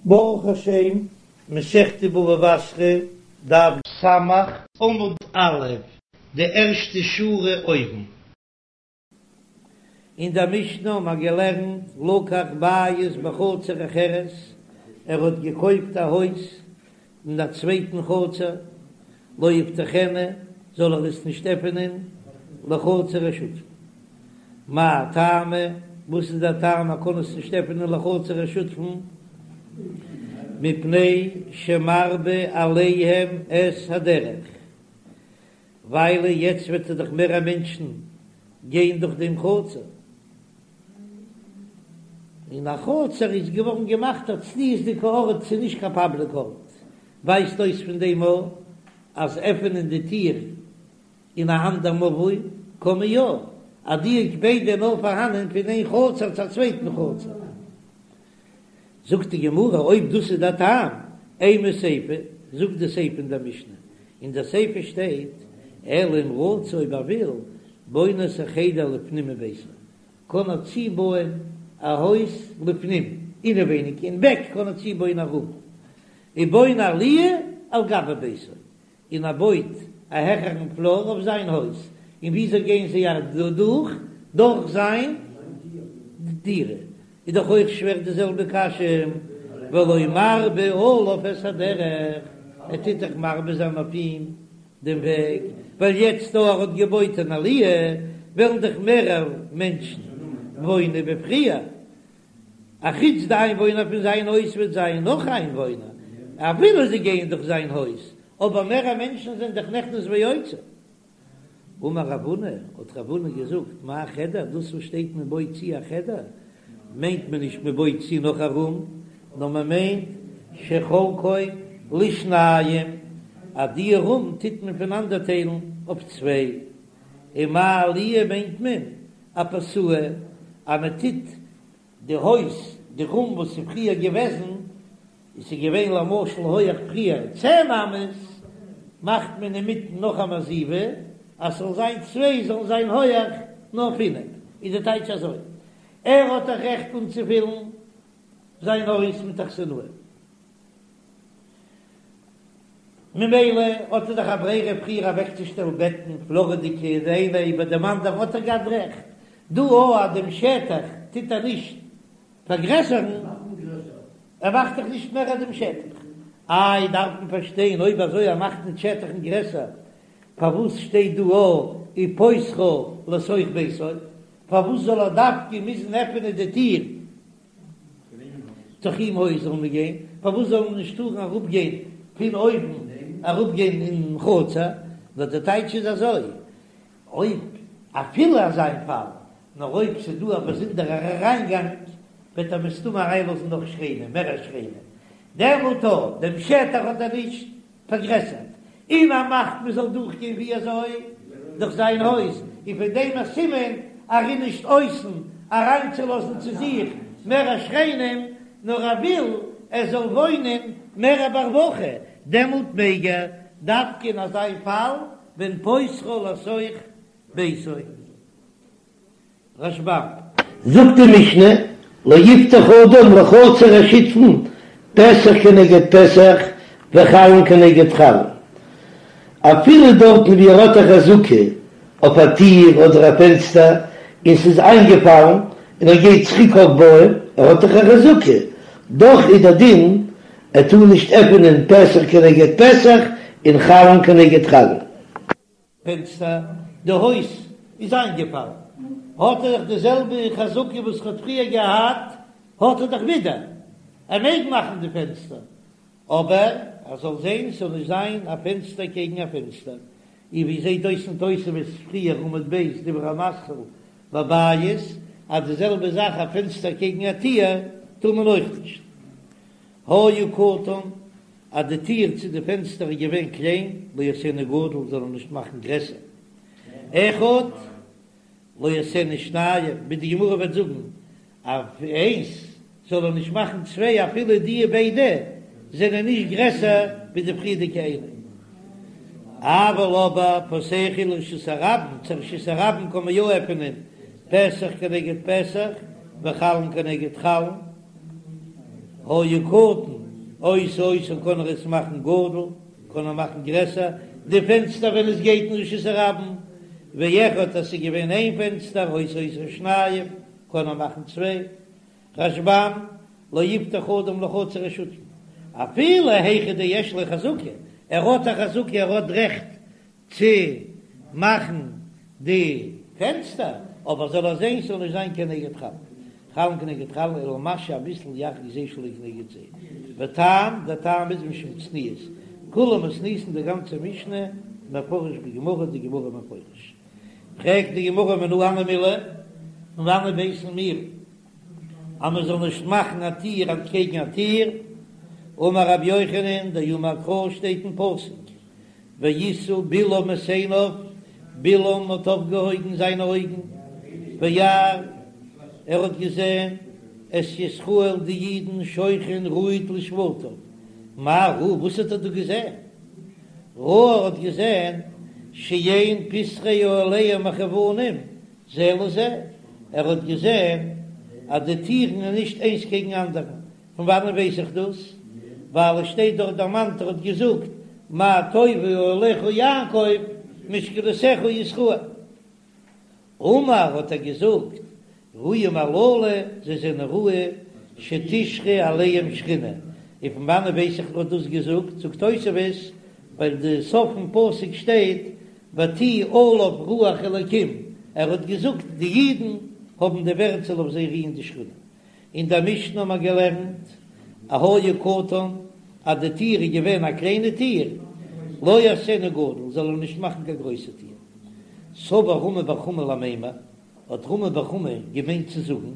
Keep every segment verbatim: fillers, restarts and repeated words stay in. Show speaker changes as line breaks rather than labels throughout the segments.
ברוך השם, מסכת בבא בתרא, דף סמך, עמוד א', די ערשטע שורה אויבן. אין דער משנה האבן מיר געלערנט לקח בית בחצר אחרת, ער האט געקויפט א הויז אין א צווייטן חצר, לא יפתחנה, זאל ער עס נישט עפענען לחצר השותפין. מאי טעמא, וואס איז דער טעם ער קען עס נישט עפענען לחצר השותפין? מפני שמרבה עליהם את הדרך, ווייל יעצט וועט ער דאך מער מענטשן גיין דורך דעם חצר, און א חצר איז געווארן געמאכט א צניעות'דיגע ארט, ס'איז נישט קיין פאבליק ארט, ווייזט אויס פון דעם אויך אז עפענען די טיר אין א אנדער מבוי קען מען יא, אז די הקפידא איז נאר פארהאנען פון איין חצר צו א צווייטן חצר. זאגט די גמרא אויב דאס איז דער טעם, אימא סיפא, זאגט די סיפא אין דער משנה, אין דער סיפא שטייט, אלא אם רצה אויב ער וויל, בונה את החדר לפנים מביתו, קען ער צובויען א הויז לפנים, אינעווייניג אין בעק קען ער צובויען א רום, ובונה עליה על גבי ביתו, און ער בויט א העכערן פלאר אויף זיין הויז, און וויאזוי גייען זיי אדורך? דורך זיין דירה, איז דאך אויך שווער די זעלבע קשיא, והלא מרבה עליו את הדרך, ער טוט דאך מרבה זיין אויף אים דעם וועג, ווייל יעצט דא ער האט געבויט אן עליה, וועלן דאך מערער מענטשן וואוינען ווי פריער, אחוץ די איינוואוינער פון זיין הויז וועט זיין נאך איינוואוינער, אפילו זיי גייען דורך זיין הויז, אבער מערער מענטשן זענען דאך נכנס ויוצא. אמר רב הונא, האט רב הונא געזאגט, מאי חדר, דאס וואס שטייט מען בויט צו א חדר, מיינט מען נישט מען בויט צו נאך א רום, נאר מען מיינט שחולקו לשניים, אז די רום טוט מען פונאנדערטיילן אויף צוויי, און מאי עליה מיינט מען אפסוה, אז מען טוט די הויז, די רום וואס איז פריער געוועזן, עס איז געווען למשל הויעך פריער צען אמות, מאכט מען אינמיטן נאך א מעזיבה אז ס'זאל זיין צוויי זאלן זיין הויעך נאר פינף, איז די טייטש אזוי, ער האט דאך רעכט אנצופילן זיין הויז מיט אכסנאי. ממילא האט ער דאך א ברירה פריער אוועקצושטעלן בעטן פלארעדיגע די איינע איבער דעם אנדערן האט ער געהאט רעכט, דא אויך אז דעם שטח טוט ער נישט פארגרעסערן, ער מאכט דאך נישט מער דעם שטח, איי דארף מען פארשטיין אויב אזוי ער מאכט נישט שטח'ן גרעסער פארוואס שטייט דא אויך ופותחה לתוך ביתו, פארוואס זאל ער דווקא מוזן עפענען די טיר דורך אים הויז זאל מען גיין, פארוואס זאל מען נישט טארן אראפ גיין פון אויבן אראפ גיין אין חצר, נאר די טייטש איז אזוי, אויב אפילו אזא איין פאל, נאר אויב ס'איז דא א באזונדערער אריינגאנג, וועט ער מסתמא אריינלאזן נאך שכנים, מערער שכנים, דעמאלט אויב דעם שטח האט ער נישט פארגרעסערט, און ער מאכט מען זאל דורכגיין ווי אזוי? דורך זיין הויז, און פון דעם א סימן ער איז נישט אויסן אריינצולאזן צו זיך מערער שכנים, נאר ער וויל ער זאל וואוינען מערער ברווחה, דעמאלט מעג ער, דווקא אין אזא פאל ווען פותחה לתוך ביתו. רשב"ם.
זאגט די משנה, לא יפתח אדם לחצר השותפין פתח כנגד פתח וחלון כנגד חלון, אפילו דארטן ווי ער האט א חזקה אויף א טיר אדער א פענסטער און ס'איז איינגעפאלן און ער גייט צוריק אויפבויען, ער האט דאך א חזקה, דאך איז דער דין ער טאר נישט עפענען פתח כנגד פתח און חלון כנגד חלון.
פענסטער, די הויז איז איינגעפאלן, האט ער דאך די זעלבע חזקה וואס ער האט פריער געהאט, האט ער דאך ווידער, ער מעג מאכן די פענסטער, אבער ער זאל זען ס'זאל נישט זיין א פענסטער קעגן א פענסטער, און ווי זעט אויס אין תוספות פריער עמוד ב' דיבור המתחיל בבית, אז די זעלבע זאך א פענסטער קעגן א טיר טאר מען אויך נישט. היה קטן, אז די טיר צו די פענסטער איז געווען קליין, לא יעשנו גדול, זאל ער נישט מאכן גרעסער. אחד, לא יעשנו שנים, ווי די גמרא וועט זאגן, אויף איינס זאל ער נישט מאכן צוויי אפילו די ביידע זענען נישט גרעסער ווי די פריערדיגע איינע. אבל אבער פותח הוא לרשות הרבים, צו רשות הרבים קען מען יא עפענען פתח כנגד פתח וחלון כנגד חלון. היה קטן עושה אותו קען ער עס מאכן גדול, קען ער מאכן גרעסער די פענסטער ווען עס גייט אין רשות הרבים, ואחד אז ס'איז געווען איין פענסטער עושה אותו שניים קען ער מאכן צוויי, רשב"ם, לא יפתח אדם לחצר השותפין, אפילו היכא דיש לו חזקה, ער האט א חזקה ער האט רעכט צו מאכן די פענסטער, אבער זאל ער זען ס'זאל נישט זיין כנגד חלון, חלון כנגד חלון, אלא משהה אביסל ירחיק זה שלא כנגד זה, וטעם, דער טעם איז משום צניעות, כולה מתניתין די גאנצע משנה מפרש בגמרא, די גמרא מפרש. פרעגט די גמרא מנא הני מילי, פון וואנען ווייסן מיר אז מען זאל נישט מאכן א טיר אנטקעגן א טיר? אמר רבי יוחנן, דאמר קרא שטייט אין פסוק, וישא בלעם את עיניו, בלעם האט אויפגעהויבן זיינע אויגן, וירא, ער האט געזען, את ישראל די אידן שוכן רהוט לשבטיו, מה ראה, וואס האט ער דא געזען? ראה, ער האט געזען, שאין פתחי אהליהם מכוונים זה לזה, ער האט געזען אז די טירן איז נישט איינס קעגן אנדערן, פון וואנען ווייס איך דאס? ווייל עס שטייט דארט דערמאנט ער האט געזאגט מה טובו אהליך יעקב משכנותיך ישראל. אמר האט ער געזאגט ראוים הללו זיי זענען ראוי שתשרה עליהם שכינה, און פון וואנען ווייס איך ער האט דאס געזאגט? זאגט תוספות ווייל די סוף פון פסוק שטייט ותהי עליו רוח אלקים, ער האט געזאגט די אידן האבן די ווערט ס'זאל אויף זיי רוען די שכינה. אין דער משנה האבן מיר געלערנט היה קטן אז די טיר איז געווען א קליינע טיר, לא יעשנו גדול, זאל ער נישט מאכן קיין גרויסע טיר. סבר רמי בר חמא למימר, האט רמי בר חמא געמיינט צו זאגן,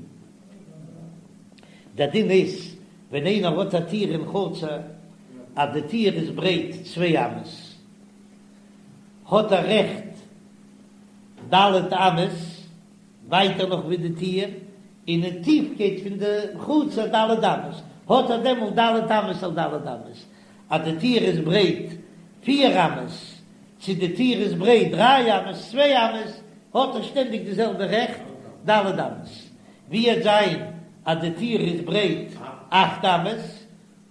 דער דין איז ווען איינער האט א טיר אין חצר אז די טיר איז ברייט צוויי אמות, האט ער רעכט ד' אמות, ווייטער נאך ווי די טיר, און אין טיפקייט פון די חצר ד' אמות, האט ער דעמאלט ד' אמות על ד' אמות, אז די טיר איז ברייט פיר אמות, צו די טיר איז ברייט דריי אמות, צוויי אמות, האט ער שטענדיג די זעלבע רעכט, ד' אמות. ווי וועט זיין אז די טיר איז ברייט אכט אמות,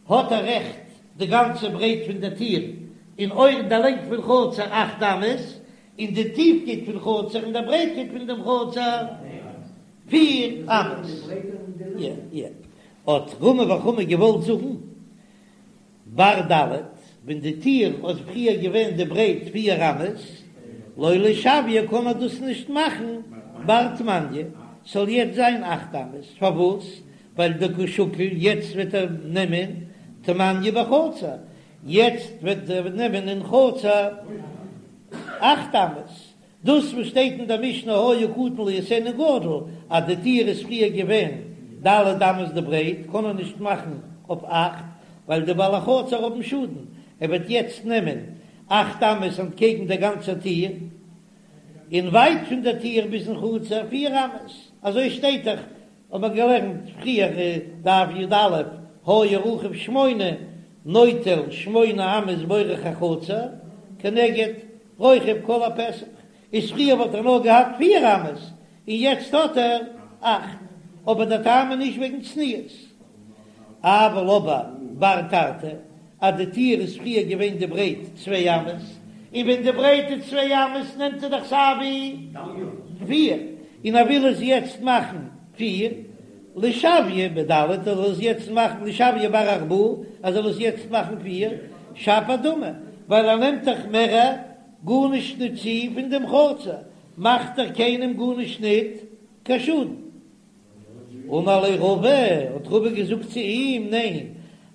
האט ער רעכט די גאנצע ברייט פון די טיר, און אויך די לענג פון חצר אכט אמות, און די טיפקייט פון חצר און די ברייטקייט פון דעם חצר פיר אמות. האט רמי בר חמא געוואלט זאגן בר ד', ווען די טיר האט פריער געווען די ברייט פיר אמות, לא לשוייה קען מען דאס נישט מאכן בר תמניא, ס'זאל יעצט זיין אכט אמות, פארוואס? ווייל דקא שקיל יעצט וועט ער נעמען תמניא בחצר, יעצט וועט ער נעמען אין חצר אכט אמות, דאס וואס שטייט אין דער משנה היה קטן לא יעשנו גדול, אז די טיר איז פריער געווען ד' אמות די ברייט, קען ער נישט מאכן אויף אכט, ווייל די בעלי חצר האבן שאדן, ער וועט יעצט נעמען אכט אמות אנטקעגן דער גאנצער טיר, און ווייט פון דער טיר ביזן חצר פיר אמות, אזוי שטייט דאך האט מען געלערנט פריער דף י"א, היה רחב שמונה נוטל שמונה אמות באורך החצר כנגד רוחב כל הפתח, איז פריער וואלט ער נאר געהאט פיר אמות און יעצט האט ער אכט, אבער דער טעם איז נישט וועגן צניעות. אבל אבער בר תרתי אז די טיר איז פריער געווען די ברייט צוויי אמות, און ווען די ברייט איז צוויי אמות נעמט ער דאך סייווי פיר, און ער וויל עס יעצט מאכן פיר, לשוייה בד' ער זאל עס יעצט מאכן לשוייה בר ארבעה ער זאל עס יעצט מאכן פיר, שפיר דמי, ווייל ער נעמט דאך מער גארנישט ניט צו פון דעם חצר, מאכט ער קיינעם גארנישט ניט קיין שאדן. אמר ליה רבא, האט רבא געזאגט צו אים, ניין,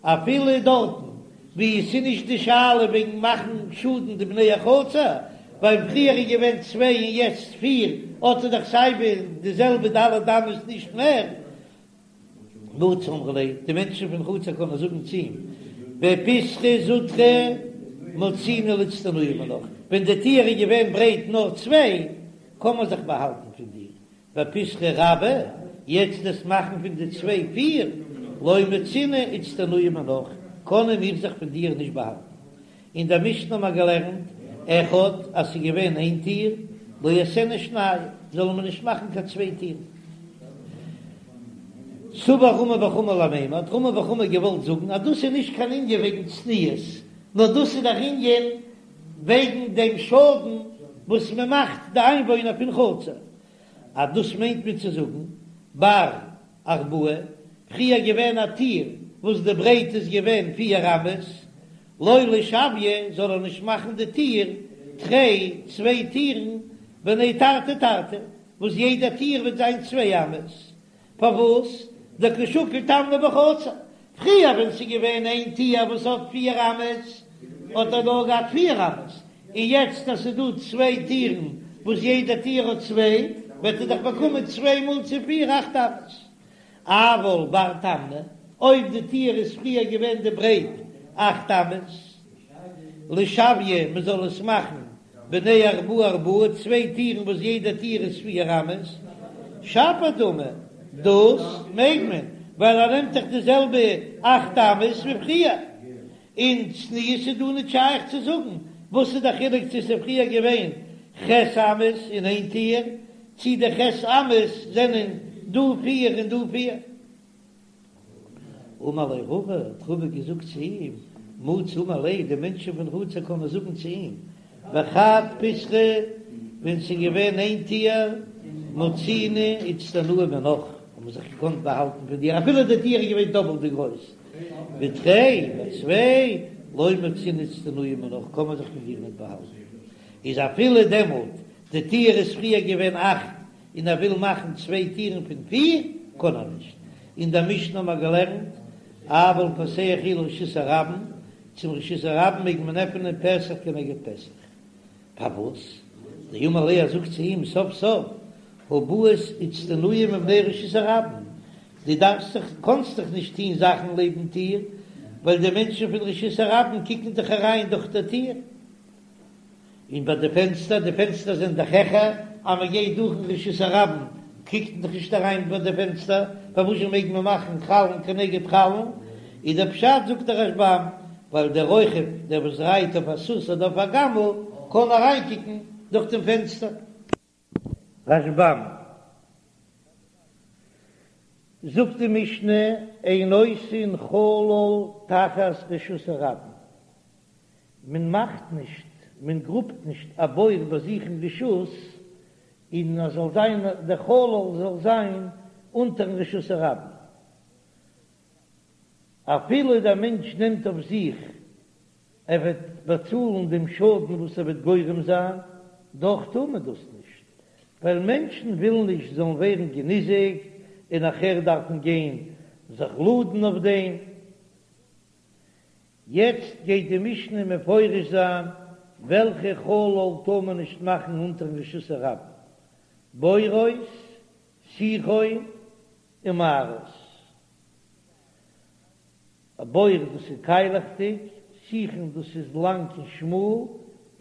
אפילו דארטן וואו עס איז נישט די שאלה וועגן מאכן שאדן די בני החצר, ווייל פריער איז געווען צוויי און יעצט פיר, האט ער דאך סייווי די זעלבע ד' אמות נישט מער. מצי אמרי ליה, די מענטשן פון חצר קענען זאגן צו אים, בפיתחא זוטרא מצינא לאיצטנויי מינך, ווען די טיר איז געווען ברייט נאר צוויי, קען מען זיך באהאלטן פון דיר, בפיתחא רבא, יעצט דאס מאכן פון די צוויי פיר, לא מצינא איצטנויי מינך, קענען מיר זיך פון דיר נישט באהאלטן. אין דער משנה האבן מיר געלערנט, אחד, אז ס'איז געווען איין טיר, לא יעשנו שניים, זאל מען נישט מאכן קיין צוויי טירן. סבר רמי בר חמא למימר, האט רמי בר חמא געוואלט זאגן אז דאס איז נישט קיין ענין וועגן צניעות, נאר דאס איז דער ענין וועגן דעם שאדן וואס מען מאכט די איינוואוינער פון חצר, אז דאס מיינט מען צו זאגן בר ארבעה, פריער געווען א טיר וואס די ברייט איז געווען פיר אמות, לא לשוייה זאל ער נישט מאכן די טיר תרי צוויי טירן בני תרתי תרתי וואס יעדע טיר וועט זיין צוויי אמות, פארוואס דקא שקיל תמניא בחצר? פריער ווען ס'איז געווען איין טיר וואס האט פיר אמות האט ער נאר געהאט פיר אמות, און יעצט אז ס'איז דא צוויי טירן וואס יעדע טיר האט צוויי וועט ער דאך באקומען צוויי מאל צו פיר אכט אמות. אבל בר תמני, אויב די טיר איז פריער געווען די ברייט אכט אמות, לשוייה מען זאל עס מאכן בני ארבעה ארבעה, צוויי טירן וואס יעדע טיר איז פיר אמות, שפיר דמי, דאס מעג מען, ווייל ער נעמט דאך די זעלבע אכט אמות ווי פריער, און צניעות איז דא ניט שייך צו זאגן, וואס איז די חילוק צו ס'איז פריער געווען ח' אמות אין איין טיר, צי די ח' אמות זענען דא פיר און דא פיר. אמר ליה רבא, האט רבא געזאגט צו אים, מצי אמר ליה, די מענטשן פון חצר קענען זאגן צו אים, בחד פתחא, ווען ס'איז געווען איין טיר, מצינא איצטנועי מינך, האט מען זיך געקאנט באהאלטן פון דיר, אפילו די טיר איז געווען דאפלט די גרויס, בתרי, ביי צוויי, לא מצינא איצטנועי מינך, קען מען זיך פון דיר ניט באהאלטן. איז אפילו דעמאלט די טיר איז פריער געווען אכט און ער וויל מאכן צוויי טירן פון פיר, קען ער נישט. אין דער משנה האבן מיר געלערנט, אבל פותח הוא לרשות הרבים, צום רשות הרבים מעג מען עפענען פתח כנגד פתח. פארוואס? דאמר ליה, ער זאגט צו אים, סוף סוף, הא בעית איצטנועי מבני רשות הרבים, דו דארפסט זיך, קאנסט דאך נישט טון זאכן לעבן טיר, ווייל די מענטשן פון רשות הרבים קוקן דאך אריין דורך דער טיר. און ביי די פענסטער, די פענסטער זענען דאך העכער, אז מען גייט דורכן רשות הרבים קוקט מען דאך נישט אריין ביי די פענסטער, פארוואזשע מעג מען מאכן חלון כנגד חלון? איז דער פשט זאגט דער רשב"ם, ווייל דער רוכב, דער וואס רייט אויף א סוס אדער אויף א גמל, קען אריינקוקן דורך דעם פענסטער. רשב"ם זאגט די משנה, אין עושין חלל תחת רשות הרבים, מען מאכט נישט, מען גראבט נישט א בור ביי זיך אין רשות, און עס זאל זיין, דער חלל זאל זיין אונטערן רשות הרבים. אפילו דער מענטש נעמט אויף זיך ער וועט באצאלן דעם שאדן וואס ער וועט גורם זיין, דאך טאר מען דאס נישט, ווייל מענטשן ווילן נישט זאלן ווערן געניזיקט און נאכער דארפן גיין זיך לאדן אויף דעם. יעצט גייט די משנה מפרש זיין וועלכע חלל טאר מען נישט מאכן אונטערן רשות הרבים, בורות, שיחין און מערות. א בור דאס איז קיילעכדיג, שיחין דאס איז לאנג און שמאל,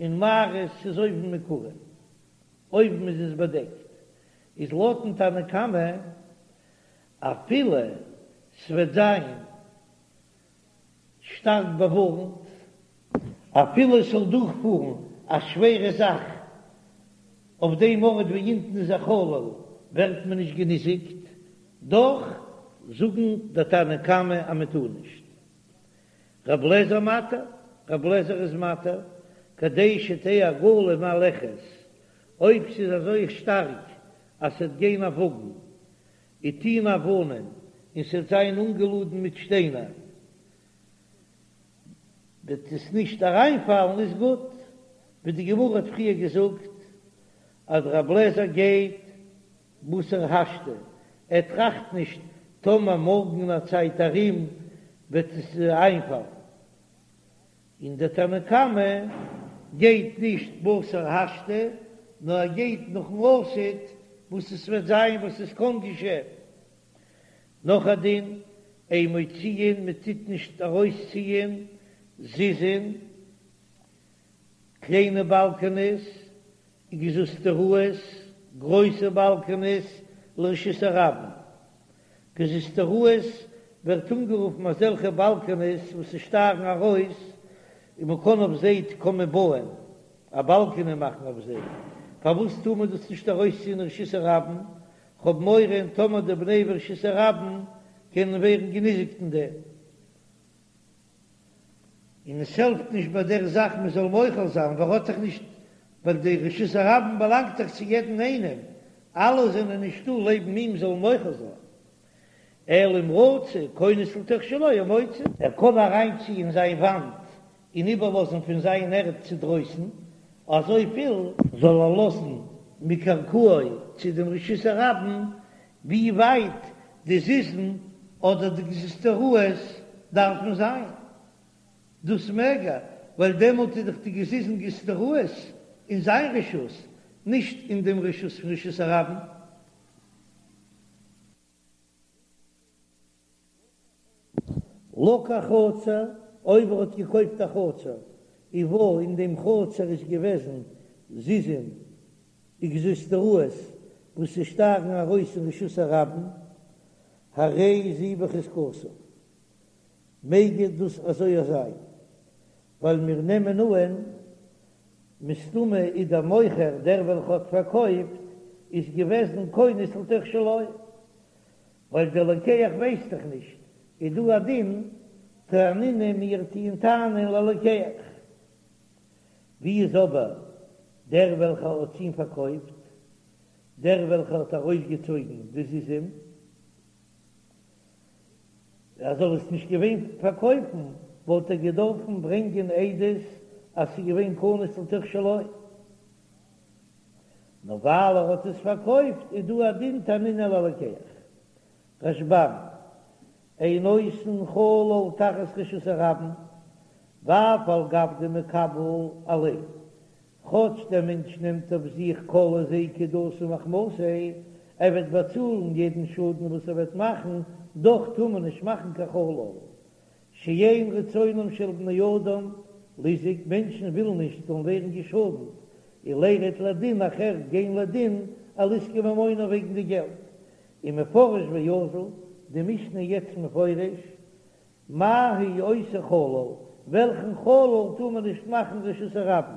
און מערות איז אויבן מקורה, אויבן איז עס באדעקט, איז לויטן תנא קמא אפילו ס'וועט זיין שטארק באווארנט, אפילו עס זאל דורכפארן א שווערע זאך אויף דעם ארט ווי אונטן איז א חלל ווערט מען נישט געניזיקט, דאך זאגן די תנא קמא אז מען טאר נישט. רב לעזער מתיר, רב לעזער איז מתיר, כדי שתהא עגלה מהלכת, אויב ס'איז אזוי שטארק אז ס'וועט גיין א וואגן וטעונה אבנים און ס'וועט זיין אנגעלאדן מיט שטיינער, וועט עס נישט אריינפאלן איז גוט, ווי די גמרא האט פריער געזאגט אז רב לעזער גייט בתר השתא, ער טראכט נישט טאמער מארגן אין א צייט ארום וועט עס איינפאלן, און דער תנא קמא גייט נישט בתר השתא, נאר ער גייט נאכן עתיד וואס עס וועט זיין וואס עס קען געשען. נאך א דין, אין מוציאין מען טוט נישט ארויסציען זיזין, קליינע באלקענעס, וגזוזטראות, גרויסע באלקענעס, לרשות הרבים. גזוזטראות ווערט אנגערופן אזעלכע באלקענעס וואס ס'שטארן ארויס און מ'קען אויף זיי קען מען בויען א באלקענע מאכן אויף זיי. פארוואס טאר מען דאס נישט ארויסציען רשות הרבים? כ'האב מורא טאמער די בני רשות הרבים קענען ווערן געניזיקט אין דעם, און עס העלפט נישט ביי דער זאך מען זאל מוחל זיין ווייל ער האט דאך נישט, ווייל די רשות הרבים באלאנגט דאך צו יעדן איינעם, אלע זענען נישטא לעבן אים זאלן מוחל זיין. אלא אם רצה כונס לתוך שלו ומוציא. ער קען אריינציען זיין וואנט און איבערלאזן פון זיין ערד צו דרויסן אזויפיל. זאל ער לאזן מקרקעו צו דעם רשות הרבים ווי ווייט די זיזין אדער די גזוזטראות דארפן זיין, דאס מעג ער, ווייל דעמאלט איז דאך די גזיזין גזוזטראות אין זיין רשות, נישט אין דעם רשות פון רשות הרבים. לקח חצר, אויב ער האט געקויפט א חצר, ובה אין דעם חצר איז געוועזן זיזין וגזוזטראות וואס ס'שטארן ארויס אין רשות הרבים, הרי זו בחזקתו, מעג דאס אזוי זיין, ווייל מיר נעמען אהן מסתמא איז דער מוכר דער וועלכע האט פארקויפט איז געוועזן כונס לתוך שלו, ווייל דער לוקח ווייסט דאך נישט, איז דא א דין תנינא מיר טוען טענה'ן ללוקח. ווי איז אבער דער וועלכער האט אים פארקויפט, דער וועלכער האט ארויסגעצויגן די זיזים, ער זאל עס נישט געווען פארקויפן, וואלט ער געדארפן ברענגען עדות אז ס'איז געווען כנוס לתוך שלו. נאר ווייל ער האט עס פארקויפט איז דא א דין תנינא ללוקח. רשב"ם, אין עושין חלל תחת רשות הרבים, ואף על גב דמקבל עליה, כאטש דער מענטש נעמט אויף זיך כל היזקא דאתי מחמתיה, ער וועט באצאלן יעדן שאדן וואס ער וועט מאכן, דאך טאר מען נישט מאכן קיין חלל. שאין רצונם של בני אדם ליזק, מענטשן ווילן נישט זאלן ווערן געשאדנט, ולירד לדין נאכער גיין לדין על עסקי ממונא וועגן די געלט. ומפרש ואזיל, די משנה יעצט מפרש, מהו עושה חלל, וועלכן חלל טאר מען נישט מאכן רשות הרבים,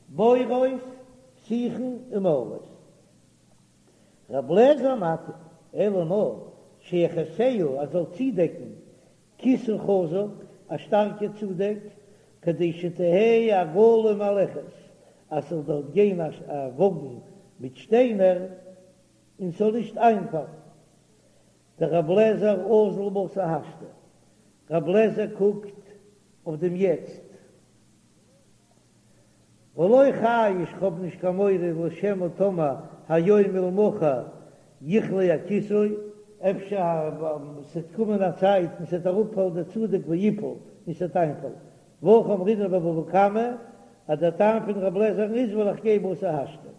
בורות, שיחין ומערות. רב לעזער מתיר, אלא נאר שיכסהו ער זאל צודעקן כיסוי חזק, א שטארקע צודעק, כדי שתהא עגלה מהלכת, אז ס'זאל דארט גיין א וואגן מיט שטיינער און ס'זאל נישט איינפאלן. דרב לעזער אזיל בתר השתא, רב לעזער קוקט אויף דעם יעצט, ולא חייש כ'האב נישט קיין מורא לשמא טאמער היום ולמחר יכלה הכיסוי, אפשר ס'עט קומען א צייט און ס'עט אראפפאלן דער צודעק ויפול און ס'עט איינפאלן, והכי אמרינן בבבא קמא אז דער טעם פון רב לעזער'ן איז ווייל איך גיי בתר השתא.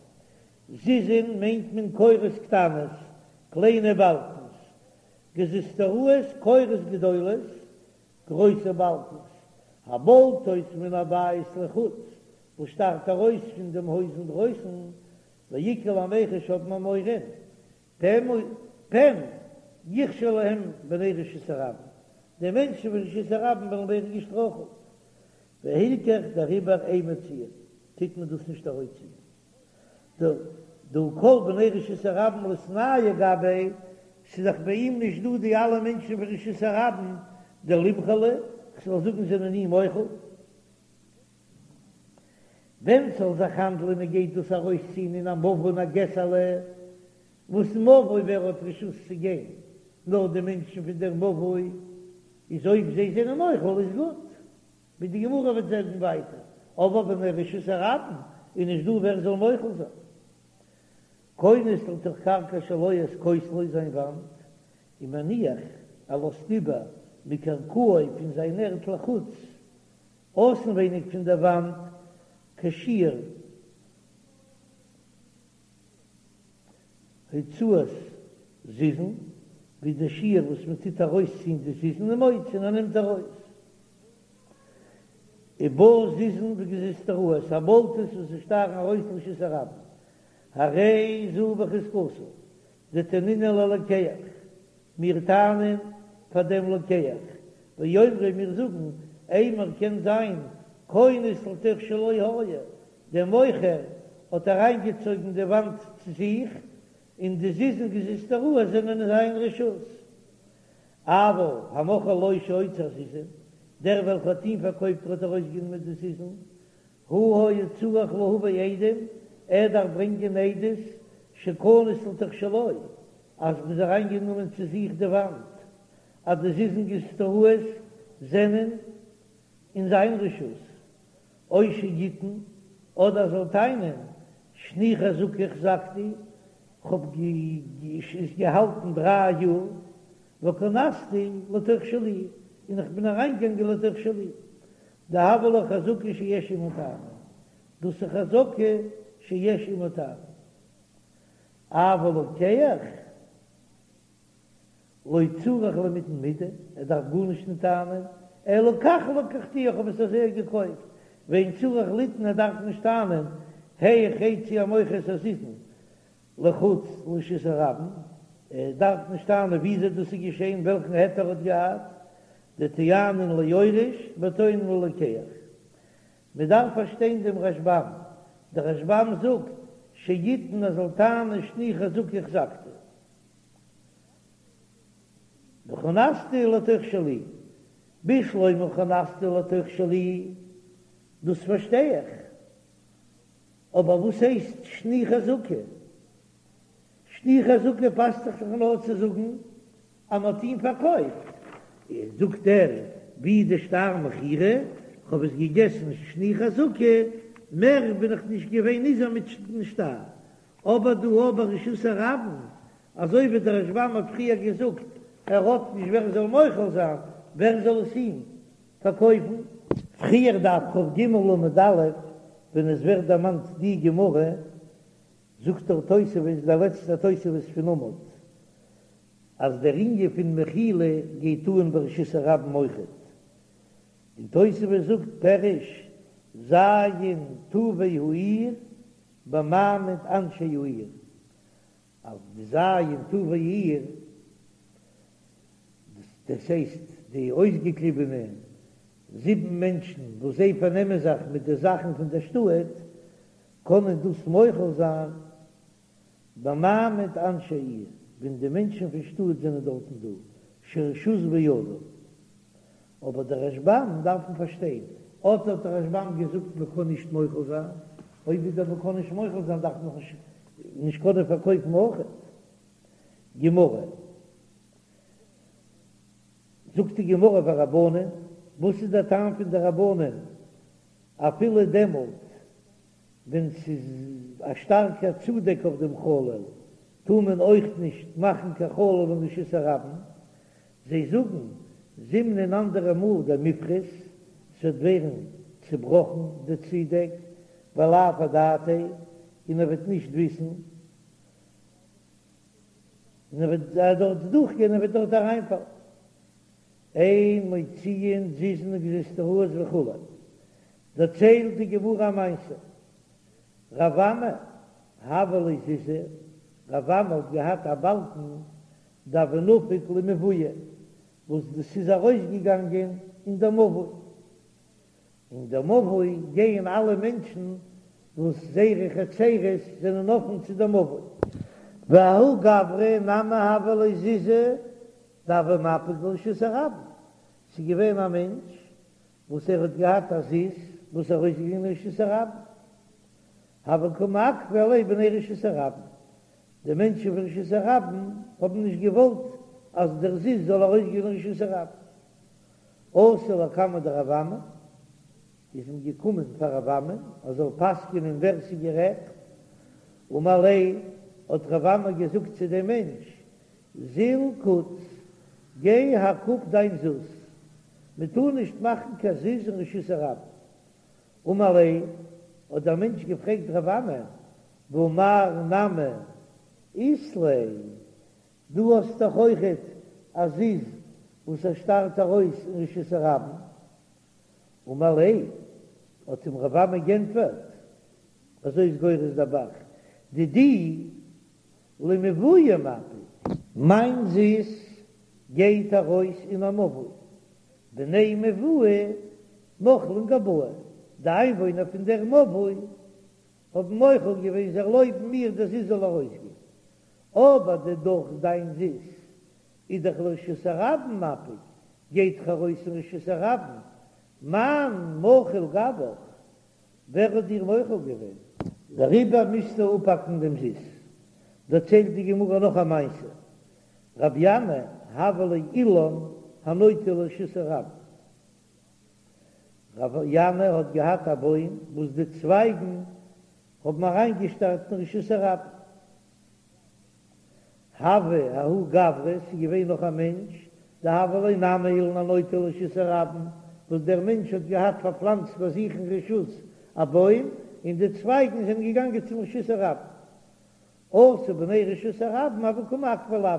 זיזין מיינט מען קורות קטנות, קליינע באלקנס, גזוזטראות קורות גדולות, גרויסע באלקנס, הבולטות מן הבית לחוץ, וואס שטארט ארויס פון דעם הויז אינדרויסן, ואיכא למיחש האט מען מורא, פן יכשלו להם בני רשות הרבים, די מענטשן פון רשות הרבים וועלן ווערן געשטראכלט, והלכך דעריבער אין מוציאין, טוט מען דאס נישט ארויסציען. דהא כל בני רשות הרבים ליתנהו גביה, ס'איז דאך ביי אים נישט דא די אלע מענטשן פון רשות הרבים דלימחלו, כ'זאל זאגן זענען אים מוחל. ווען ס'זאל זיך האנדלען מען גייט דאס ארויסציען אין א מבוי אין א געסעלע, וואס מבוי ווער האט רשות צו גיין, נאר די מענטשן פון דער מבוי, איז אויב זיי זענען מוחל איז גוט. ווי די גמרא וועט זאגן ווייטער, אבער בני רשות הרבים איז נישט דא ווער זאל מוחל זיין. כונס לתוך קרקע שלו את כותלו זיין וואנט, ומניח ער לאזט איבער מקרקעו פון זיין ערד לחוץ אויסנווייניג פון דער וואנט כשיעור הוצאת זיזין, ווי די שיעור וואס מען טוט ארויסציען די זיזין ומוציא און ער נעמט ארויס. ובא זיזין וגזוזטראות הבולטות וואס זיי שטארן ארויס לרשות הרבים, הרי זו בחזקתו, דתנינן ללוקח, מיר טענה'ן פאר דעם לוקח, ואומרים מיר זאגן, אימר קען זיין כונס לתוך שלו היה, דער מוכר האט אריינגעצויגן די וואנט צו זיך, און די זיזין גזוזטראות זענען אין זיין רשות. אבל המוכר לו שהוציא הזיזין, דער וועלכער האט אים פארקויפט האט ארויסגענומען די זיזין, הוא היה צריך להביא עדים, ער דארף ברענגען עדות שכנס לתוך שלו, אז מ'איז אריינגענומען צו זיך די וואנט, אז די זיזין גרסטאות זענען אין זיין רשות, או שיטעון, אדער ער זאל טענה'ן, שני חזקה החזקתי, כ'האב עס געהאלטן דריי יאר, וכנסתי לתוך שלי, און איך בין אריינגעגאנגען לתוך שלי, דהויא לה חזקה שיש עמה טענה, דאס איז חזקה שיש עמה טענה. אבל לוקח לא צריך למיטען מידי, ער דארף גארנישט נישט טענה'ן, אלא כך לקחתי, איך האב עס אזוי געקויפט, ואין צריך לטעון, ער דארף נישט טענה'ן, היאך הוציא המוכר את הזיזין לחוץ לרשות הרבים, ער דארף נישט טענה'ן וויאזוי דאס איז געשען, וועלכן היתר ער האט געהאט, דטוענין ליורש וטוענין ללוקח. מען דארף פארשטיין דעם רשב"ם, דער רשב"ם זאגט שיטעון ער זאל טענה'ן שני חזקה החזקתי. וכנסתי לתוך שלי, בשלמא כנסתי לתוך שלי, דאס פארשטיי איך, אבער וואס הייסט שני חזקה? שני חזקה פאסט זיך דאך נאר צו זאגן אז מען האט אים פארקויפט, זאגט ער ווי די שטר מכירה, כ'האב עס געגעסן שני חזקה, מער בין איך נישט געווען ניזוק מיטן שטר, אבער דא אבער רשות הרבים, אזוי ווי דער רשב"ם האט פריער געזאגט, ער האט נישט ווער זאל מוחל זיין, ווער זאל עס אים פארקויפן? פריער דף כ"ג עמוד א', ווען עס ווערט דערמאנט די גמרא, זאגט דער תוספות, דער לעצטער תוספות פון עמוד, אז דער ענין פון מחילה גייט אן ברשות הרבים אויכעט, און תוספות זאגט פירוש ז' טובי העיר במעמד אנשי העיר, אז די ז' טובי העיר, דאס הייסט די אויסגעקליבענע זיבן מענטשן וואס זיי פארנעמען זיך מיט די זאכן פון דער שטאט, קענען דאס מוחל זיין במעמד אנשי העיר, ווען די מענטשן פון שטאט זענען דארטן דא, שהרשות בידם. אבער דער רשב"ם דארף מען פארשטיין, אט האט דער רשב"ם געזאגט מען קען נישט מוחל זיין, אויב איז דער מען קען נישט מוחל זיין דארף מען נישט נישט קענען פארקויפן אויכעט. גמרא, זאגט די גמרא ורבנן, וואס איז דער טעם פון די רבנן אפילו דעמאלט ווען ס'איז א שטארקע צודעק אויף דעם חלל טאר מען אויך נישט מאכן קיין חלל אין רשות הרבים, זיי זאגן זימנין אנדערע מאל דמיפחת, ס'וועט ווערן צובראכן די צודעק, ולאו אדעתיה, און ער וועט נישט וויסן, און ער וועט דארט דורכגיין און ער וועט דארט אריינפאלן. אין מוציאין זיזין וגזוזטראות וכו'. דערציילט די גמרא א מעשה, רב אמי הוה ליה זיזא, רב אמי האט געהאט א באלקן דהוה נפיק למבואה, וואס דאס איז ארויסגעגאנגען אין דער מבוי, אין דער מבוי גייען אלע מענטשן וואס זייערע חצרות זענען אפן צו דער מבוי. וההוא גברא נמי הוה ליה זיזא דהוה מפיק לרשות הרבים, ס'איז געווען א מענטש וואס ער האט געהאט א זיז וואס איז ארויסגעגאנגען אין רשות הרבים, הוו קא מעכבי עליה בני רשות הרבים, די מענטשן פון רשות הרבים האבן נישט געוואלט אז דער זיז זאל ארויסגיין אין רשות הרבים. אתו לקמיה דרב אמי, איז מען געקומען פאר רב אמי ער זאל פסק'ענען ווער ס'איז גערעכט, אמר ליה, האט רב אמי געזאגט צו דעם מענטש, זיל קוץ, גיי האק אפ דיין זוז, מען טאר נישט מאכן קיין זיז אין רשות הרבים. אמר ליה, האט דער מענטש געפרעגט רב אמי, והא מר נמי אית ליה, דו האסט דאך אויכעט א זיז וואס ער שטארט ארויס אין רשות הרבים. אמר ליה, האט אים רב אמי גענטפערט, אזוי איז גורס דער ב"ח, דידי למבואה מפיק. מיין זיז גייט ארויס אין א מבוי, בני מבואה מחלין גבאי, די איינוואוינער פון דער מבוי האבן מוחל געווען זיי ערלויבן מיר דער זיז זאל ארויסגיין, אבער דידך דיין זיז איז דאך לרשות הרבים מפיק, גייט דאך ארויס אין רשות הרבים, מאן מחיל גבך, ווער האט דיר מוחל געווען? דעריבער מוזטו אפהאקן דעם זיז. דערציילט די גמרא נאך א מעשה, רבי ינאי הוה ליה אילן הנוטה לרשות הרבים, רבי ינאי האט געהאט א בוים וואס די צווייגן האבן אריינגעשטארט אין רשות הרבים, הוה ההוא גברא, ס'איז געווען נאך א מענטש, דהוה ליה נמי אילן הנוטה לרשות הרבים, וואס דער מענטש האט געהאט פארפלאנצט ביי זיך אין רשות א בוים, און די צווייגן זענען געגאנגען צום רשות הרבים. אתו בני רשות הרבים הוו קא מעכבי לויה,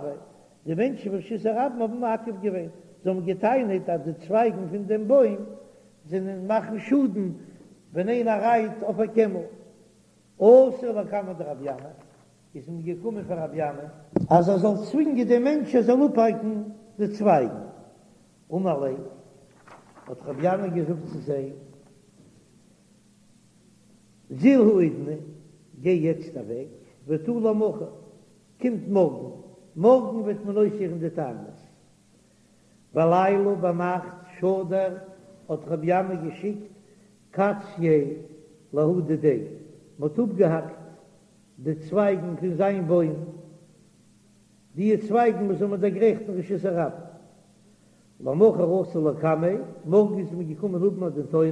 די מענטשן פון רשות הרבים האבן מעכב געווען, זיי האבן גע'טענה'ט אז די צווייגן פון דעם בוים זענען מאכן שאדן ווען איינער רייט אויף א קעמל. אתו לקמיה דרבי ינאי, איז מען געקומען פאר רבי ינאי אז ער זאל צווינגען דעם מענטש ער זאל אפהאקן די צווייגן, אמר ליה, האט רבי ינאי געזאגט צו זיי, זיל האידנא, גיי יעצט אוועק, ותא למחר, קומט מארגן, מארגן וועט מען אויסהערן די טענות. בליליא ביינאכט שדר האט רבי ינאי געשיקט קצייה לההוא דידיה, מען האט אפגעהאקט די צווייגן פון זיין בוים, די צווייגן וואס האבן דערגרייכט אין רשות הרבים. למחר אתו לקמיה, מארגן איז מען געקומען האבן א דין תורה,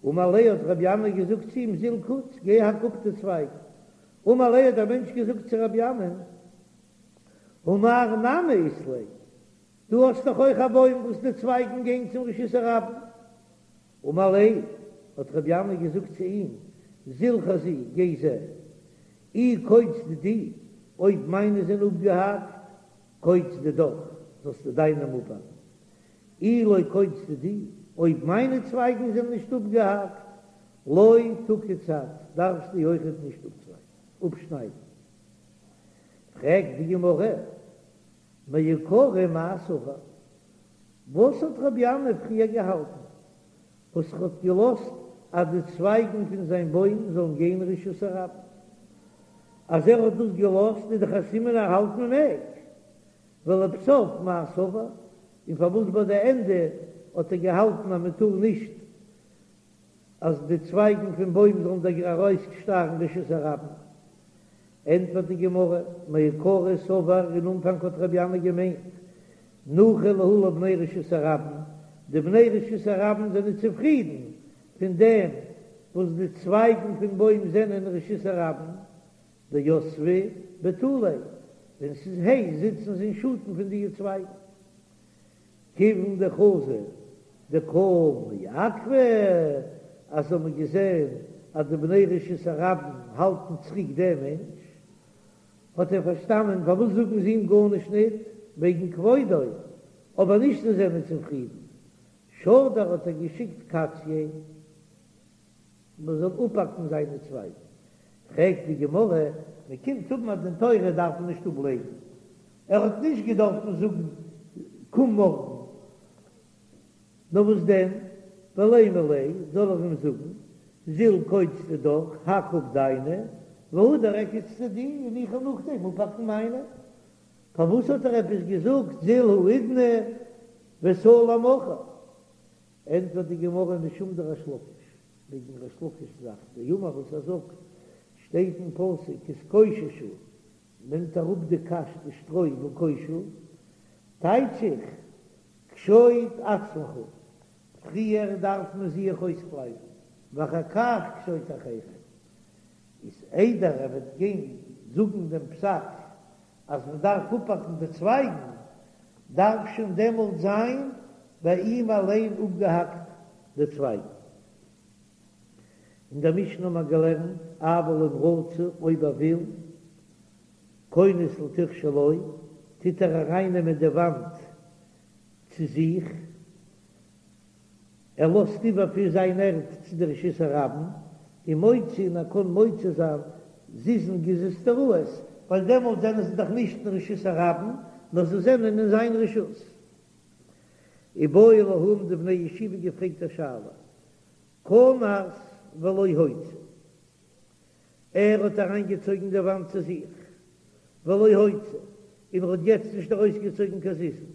אמר ליה האט רבי ינאי געזאגט צו אים זיל קוץ, גיי האק אפ די צווייגן. אמר ליה האט דער מענטש געזאגט צו רבי ינאי, הא מר נמי אית ליה, דו האסט דאך אויך א בוים וואס די צווייגן גייען צום רשות הרבים. אמר ליה, האט רבי ינאי געזאגט צו אים, זיל חזי, גיי זע, אי קוץ דידי, אויב מיינע זענען אפגעהאקט, קוץ דידך, זאלסטו דיינע אפהאקן. אי לא קוץ דידי, אויב מיינע צווייגן זענען נישט אפגעהאקט, לא תקוץ את, דארפסטו אויכעט נישט אפשניידן. פרעגט די גמרא, מעיקרא מאי סבר, וואס האט רבי ינאי פריער געהאלטן, וואס ער האט געלאזט אז די צווייגן פון זיין בוים זאלן גיין רשות הרבים? אז ער האט דאס געלאזט איז דאך א סימן ער האלט מען מעג. ולבסוף מאי סבר, און פארוואס ביי די ענדע האט ער געהאלטן אז מען טאר נישט אז די צווייגן פון בוים זאלן דא ארויסשטארן רשות הרבים? ענטפערט די גמרא, מעיקרא סבר, אין אנפאנג האט רבי ינאי געמיינט, ניחא להו לבני רשות הרבים, די בני רשות הרבים זענען צופרידן פון דעם וואס די צווייגן פון בוים זענען רשות הרבים, דיתבי בטוליה, ווען ס'איז הייס זיצן זיי אין שאטן פון די צווייגן. כיוון דחזו דקא מעכבי, אז זיי האבן געזען אז די בני רשות הרבים האלטן צוריק דעם מענטש, האט ער פארשטאנען פארוואס זאגן זיי אים גארנישט ניט וועגן כבודו, אבער נישט זיי זענען צופרידן. שדר האט ער געשיקט קצייה מען זאל אפהאקן זיינע צווייגן. פרעגט די גמרא, מען קומט האבן א דין תורה דארף מען נישט אפלעגן, ער האט נישט געדארפן זאגן קום מארגן, נאר וואס דען, ולימא ליה, זאל ער אים זאגן, זיל קוץ דידך, האק אפ דיינע, והדר איקוץ דידי, און איך וועל נאכדעם אפהאקן מיינע. פארוואס האט ער עפעס געזאגט זיל האידנא ותא למחר? ענטפערט די גמרא משום דריש לקיש, וועגן ריש לקיש זאך, דאמר וואס ער זאגט, שטייט אין פסוק התקוששו, נעמט אראפ די קש די שטרוי וקושו, טייטש איך, קשוט עצמך, פריער דארף מען זיך אויסקלייבן, ואחר כך קשוט אחרים, איז איידער ער וועט גיין זאגן דעם פסק אז מען דארף אפהאקן די צווייגן, דארף שוין דעמאלט זיין ביי אים אליין אפגעהאקט די צווייגן. אין דער משנה האט מען געלערנט, אבל אם רצה, אויב ער וויל, כונס לתוך שלו, טוט ער ארייננעמען די וואנט צו זיך, ער לאזט איבער פון זיין ערד צו די רשות הרבים, ומוציא און ער קען מוציא זיין זיזין גזוזטראות, ווייל דעמאלט זענען זיי דאך נישט אין רשות הרבים, נאר זיי זענען אין זיין רשות. איבעיא להו האבן די בני ישיבה געפרעגט א שאלה, כנס ולא הוציא, ער האט אריינגעצויגן די וואנט צו זיך, ולא הוציא, און ער האט יעצט נישט ארויסגעצויגן קיין זיזין.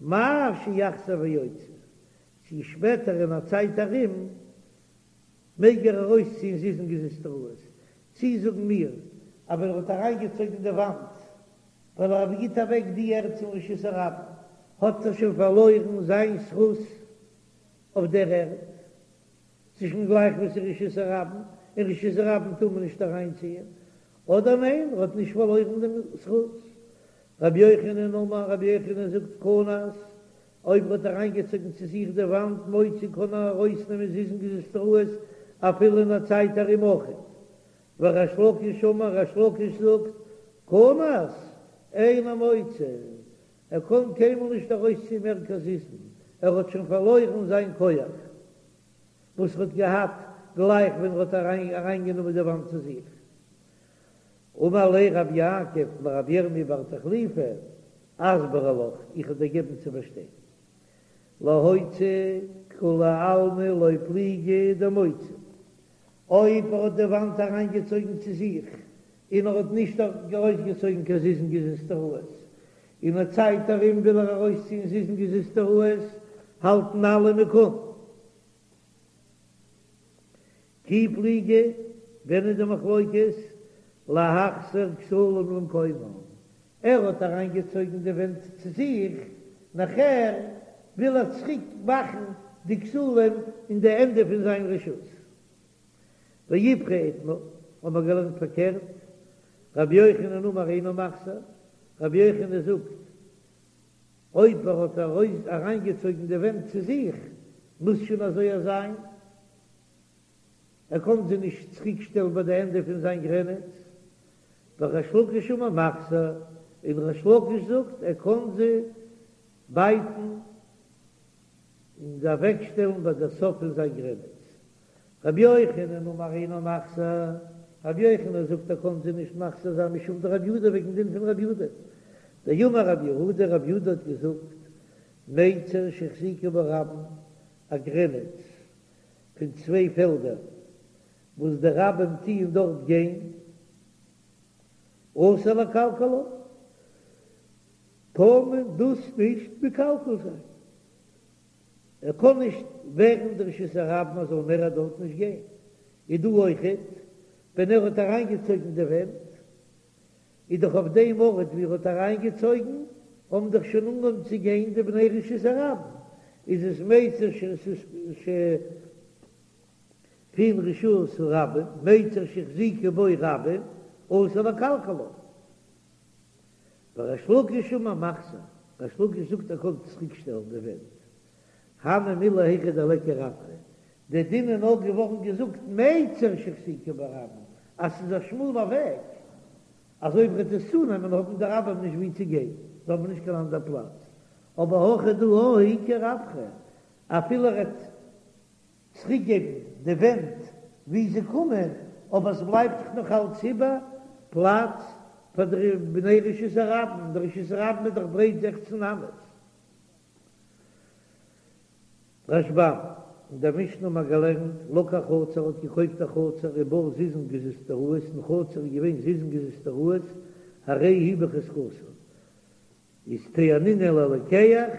מהו שיחזיר ויוציא, צו שפעטער אין א צייט ארום מעג ער ארויסציען זיזין גזוזטראות, צי זאגן מיר אז ווען ער האט אריינגעצויגן די וואנט ווייל ער גיט אוועק די ערד צום רשות הרבים האט ער שוין פארלוירן זיין זכות אויף דער ערד, ס'איז שוין גלייך ווי ס'איז רשות הרבים, אין רשות הרבים טאר מען נישט אריינציען, אדער ניין ער האט נישט פארלוירן דעם זכות. רבי יוחנן אמר, רבי יוחנן זאגט כנס, אויב ער האט אריינגעצויגן צו זיך די וואנט מוציא קען ער ארויסנעמען זיזין גזוזטראות אפילו אין א צייט ארום אויכעט. וריש לקיש אמר, ריש לקיש זאגט, כנס אינו מוציא, ער קען קיינמאל נישט ארויסציען מער קיין זיזין, ער האט שוין פארלוירן זיין כח וואס ער האט געהאט גלייך ווען ער האט אריינגענומען די וואנט צו זיך. אמר ליה רב יעקב לרב ירמי' בר תחליפא, אסברא לך, איך וועל דיר געבן צו פארשטיין. להוציא כולי עלמא לא פליגי דמוציא. אויב ער האט די וואנט אריינגעצויגן צו זיך, און ער האט נישט ארויסגעצויגן קיין זיזין גזוזטראות, אין א צייט ארום וויל ער ארויסציען זיזין גזוזטראות, האלטן אלע מ'קען. כי פליגי, ווען איז די מחלוקת? להחזיר כתלים למקומן, ער האט אריינגעצויגן די ווענט צו זיך, נאכער וויל ער צוריק מאכן די כתלים אין די ענדע פון זיין רשות. ואיפכא איתמר, האבן מיר געלערנט פארקערט, רבי יוחנן אמר אינו מחזיר, רבי יוחנן זאגט, אויב ער האט אריינגעצויגן די ווענט צו זיך, מוז שוין אזוי זיין. ער קען זיי נישט צוריק שטעלן ביי די ענדע פון זיין גרעניץ, וריש לקיש אמר מחזיר, און ריש לקיש זאגט ער קען זיי בייטן און זיי אוועק שטעלן ביי די סוף פון זיין גרעניץ. רבי יוחנן אמר אינו מחזיר, רבי יוחנן זאגט ער קען זיי נישט מחזיר זיין משום דרבי יהודה וועגן דין פון רבי יהודה, דאמר רבי יהודה, רבי יהודה האט געזאגט מיצר שהחזיקו בו רבים, א גרעניץ פון צוויי פעלדער וואס די רבים טוען דארט גיין, אסור לקלקלה, טאר מען דאס נישט מקלקל זיין, ער קען נישט ווערן די רשות הרבים אז זאל מער דארט נישט גיין, איז דא אויכעט ווען ער האט אריינגעצויגן די ווענט, איז דאך אויף דעם ארט ווי ער האט אריינגעצויגן האבן דאך שוין אנגעהויבן צו גיין די בני רשות הרבים, איז עס מיצר ש ש פון רשות הרבים, מיצר שהחזיקו בו רבים, אסור לקלקלו. וריש לקיש אמר מחזיר, ריש לקיש זאגט ער קען צוריק שטעלן די ווענט, הני מילי היכא דליכא רווחא, די דין איז נאר געווארן געזאגט מיצר שהחזיקו בו רבים, אז ס'איז א שמאלע וועג, אז אויב וועט עס צונעמען האבן די רבים נישט ווי צו גיין, זיי האבן נישט קיין אנדער פלאץ, אבער הכא דא איכא רווחא, אפילו ער וועט צוריקגעבן די ווענט ווי זיי קומען, אבער עס בלייבט דאך נאך אלץ איבער פלאץ פאר די בני רשות הרבים, די רשות הרבים איז דאך ברייט זעכצן אמות. רשב"ם, אין דער משנה האט מען געלערנט, לקח חצר האט געקויפט א חצר ובה זיזין גזוזטראות, אין חצר איז געווען זיזין גזוזטראות, הרי היא בחזקתו, איז טענינן ללוקח,